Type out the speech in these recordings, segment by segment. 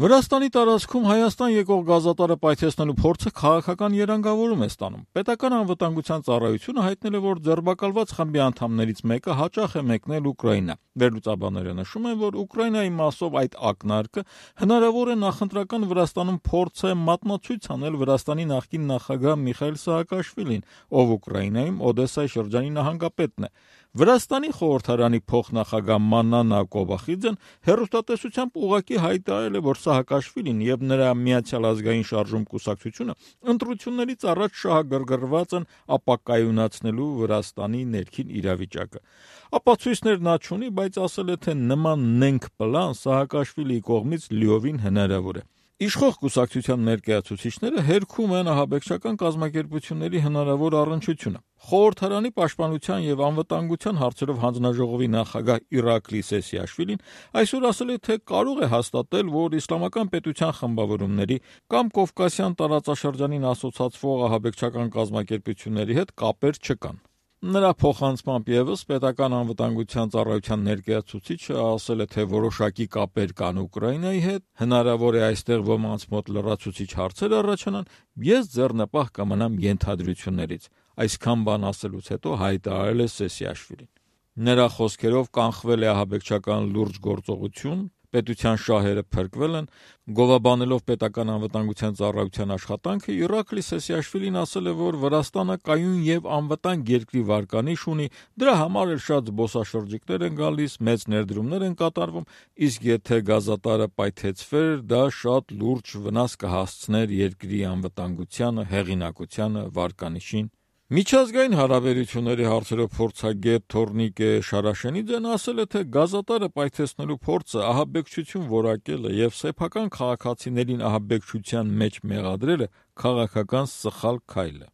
Վրաստանի տարածքում Հայաստան եկող գազատարը պայթեցնելու փորձը քաղաքական երանգավորում է ստանում։ Պետական անվտանգության ծառայությունը հայտնել է, որ ձերբակալված խմբի անդամներից մեկը հաճախ է մեկնել Ուկրաինա։ Վերլուծաբանները նշում են, որ Ուկրաինայի մասով այդ ակնարկը հնարավոր է նախընտրական Վրաստանում փորձ է մատնացույց անել Վրաստանի նախկին նախագահ Միխայիլ Սահակաշվիլին, ով Ուկրաինայում Օդեսայի շրջանի նահանգապետն է։ Վրաստանի խորհրդարանի փոխնախագահ Մանանա Կոբախիձեն հեռուստատեսությամբ ուղղակի հայտարարել է, որ Սահակաշվիլին եւ նրա Միացյալ ազգային շարժում կուսակցությունը ընտրություններից առաջ շահագրգռված են ապակայունացնելու Վրաստանի ներքին իրավիճակը։ Ապացույցներ նա չունի, բայց ասել է, թե նման նենգ պլան Սահակաշվիլիի կողմից լիովին հնարավոր է։ Իշխող կուսակցության ներկայացուցիչները հերքում են ահաբեկչական կազմակերպությունների հնարավոր առնչությունը։ Խորհրդարանի պաշտպանության եւ անվտանգության հարցերով հանձնաժողովի նախագահ Իրակլի Սեսիաշվիլին այսօր ասել է, թե կարող է հաստատել, որ իսլամական պետության խմբավորումների կամ Կովկասյան տարածաշրջանին ասոցացվող ահաբեկչական կազմակերպությունների հետ կապեր չկան։ Նրա փոխանցմամբ ևս պետական անվտանգության ծառայության ներկայացուցիչը ասել է, թե որոշակի կապեր կան Ուկրաինայի հետ, հնարավոր է այստեղ ոմանց մոտ լրացուցիչ հարցեր առաջանան, ես ձեռնպահ կմնամ ենթադրություններից։ Այսքան բան ասելուց հետո հայտարարել է Սեսիաշվիլին։ Նրա խոսքերով կանխվել է ահաբեկչական լուրջ գործողություն, պետության շահերը փրկվել են, գովաբանելով պետական անվտանգության ծառայության աշխատանքը, Իրակլի Սեսիաշվիլին ասել է, որ Վրաստանը կայուն եւ անվտանգ երկրի վարկանիշ ունի, դրա համար էլ շատ զբոսաշրջիկներ են գալիս, մեծ ներդրումներ են կատարվում, իսկ եթե գազատարը պայթեցվեր, դա շատ լուրջ վնաս կհասցներ երկրի անվտանգությանը, հեղինակությանը, վարկանիշին։ Միջազգային հարաբերությունների հարցերով փորձագետ Թորնիկե Շարաշենիձեն ասել է, թե գազատարը պայթեցնելու փորձը ահաբեկչություն որակելը եւ սեփական քաղաքացիներին ահաբեկչության մեջ մեղադրելը քաղաքական սխալ քայլ է։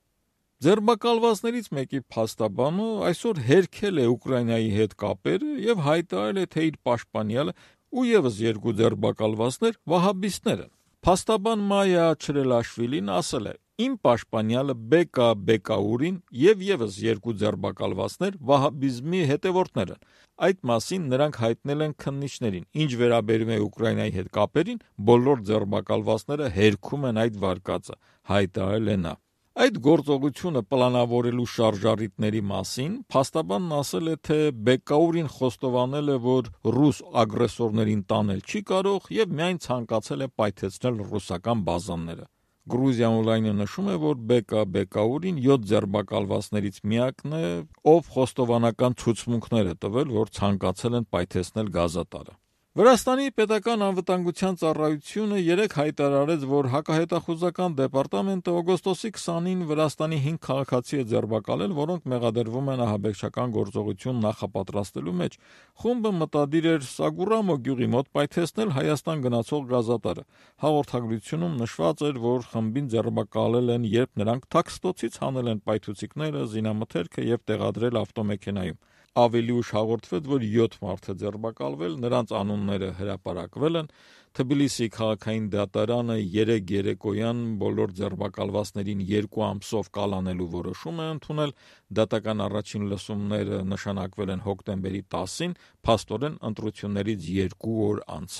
Ձերբակալվածներից մեկի փաստաբանը այսօր հերքել է Ուկրաինայի հետ կապերը եւ հայտարարել է, թե իր պաշտպանյալը ու եւս երկու ձերբակալվածներ վահաբիստներ են։ Փաստաբան Մայա Չրելաշվիլին ասել է. Իմ պաշտպանյալը Բեկա Բեկաուրին եւ եւս երկու ձերբակալվածներ վահաբիզմի հետևորդներ են։ Այդ մասին նրանք հայտնել են քննիչներին։ Ինչ վերաբերում է Ուկրաինայի հետ կապերին, բոլոր ձերբակալվածները հերքում են այդ վարկածը, հայտարարել է նա։ Այդ գործողությունը պլանավորելու շարժառիթների մասին փաստաբանն ասել է, թե Բեկաուրին խոստովանել է, որ ռուս ագրեսորներին տանել չի կարող եւ միայն ցանկացել է պայթեցնել ռուսական բազաները։ Գրուզիա օնլայնը նշում է, որ Բեկա Բեկաուրին 7 ձերբակալվածներից միակն է, ով խոստովանական ցուցմունքներ է տվել, որ ցանկացել են պայթեցնել գազատարը։ Վրաստանի պետական անվտանգության ծառայությունը երեկ հայտարարեց, որ հակահետախուզական դեպարտամենտը օգոստոսի 20-ին Վրաստանի 5 քաղաքացի է ձերբակալել, որոնք մեղադրվում են ահաբեկչական գործողություն նախապատրաստելու մեջ։ Խումբը մտադիր էր Սագուրամո գյուղի մոտ պայթեցնել Հայաստան գնացող գազատարը։ Հաղորդագրությունում նշված էր, որ խմբին ձերբակալել են, երբ նրանք թաքստոցից հանել են պայթուցիկները, զինամթերքը եւ տեղադրել ավտոմեքենայում։ Ավելի ուշ հաղորդվեց, որ 7 մարդ է ձերբակալվել, նրանց անունները հրապարակվել են։ Թբիլիսի քաղաքային դատարանը 3 երեկոյան բոլոր ձերբակալվածներին 2 ամսով կալանելու որոշում է ընդունել։ Դատական առաջին լսումները նշանակվել են հոկտեմբերի 10-ին, փաստորեն ընտրություններից 2 օր անց։